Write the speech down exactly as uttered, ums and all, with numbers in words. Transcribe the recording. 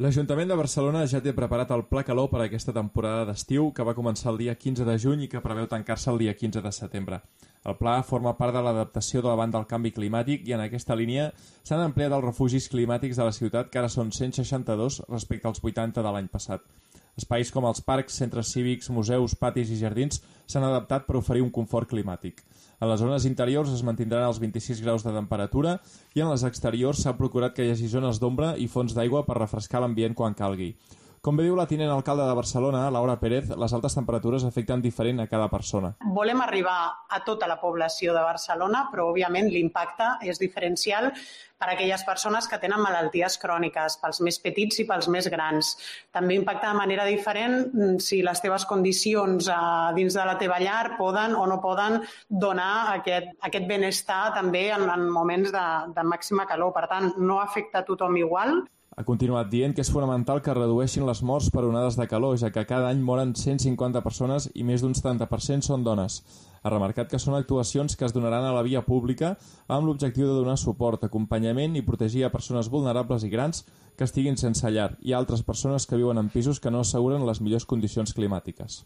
L'Ajuntament de Barcelona ja té preparat el Pla Calor per a aquesta temporada d'estiu, que va començar el dia quinze de juny i que preveu tancar-se el dia quinze de setembre. El pla forma part de l'adaptació davant del canvi climàtic i en aquesta línia s'han ampliat els refugis climàtics de la ciutat, que ara són cent seixanta-dos respecte als vuitanta de l'any passat. Espais com els parcs, centres cívics, museus, patis i jardins s'han adaptat per oferir un confort climàtic. A les zones interiors es mantindran els vint-i-sis graus de temperatura i en les exteriors s'ha procurat que hi hagi zones d'ombra i fonts d'aigua per refrescar l'ambient quan calgui. Com bé diu la tinent alcalde de Barcelona, Laura Pérez, les altes temperatures afecten diferent a cada persona. Volem arribar a tota la població de Barcelona, però òbviament l'impacte és diferencial per a aquelles persones que tenen malalties cròniques, pels més petits i pels més grans. També impacta de manera diferent si les teves condicions dins de la teva llar poden o no poden donar aquest, aquest benestar també en, en moments de, de màxima calor. Per tant, no afecta a tothom igual. Ha continuat dient que és fonamental que redueixin les morts per onades de calor, ja que cada any moren cent cinquanta persones i més d'un setanta per cent són dones. Ha remarcat que són actuacions que es donaran a la via pública amb l'objectiu de donar suport, acompanyament i protegir a persones vulnerables i grans que estiguin sense llar i altres persones que viuen en pisos que no asseguren les millors condicions climàtiques.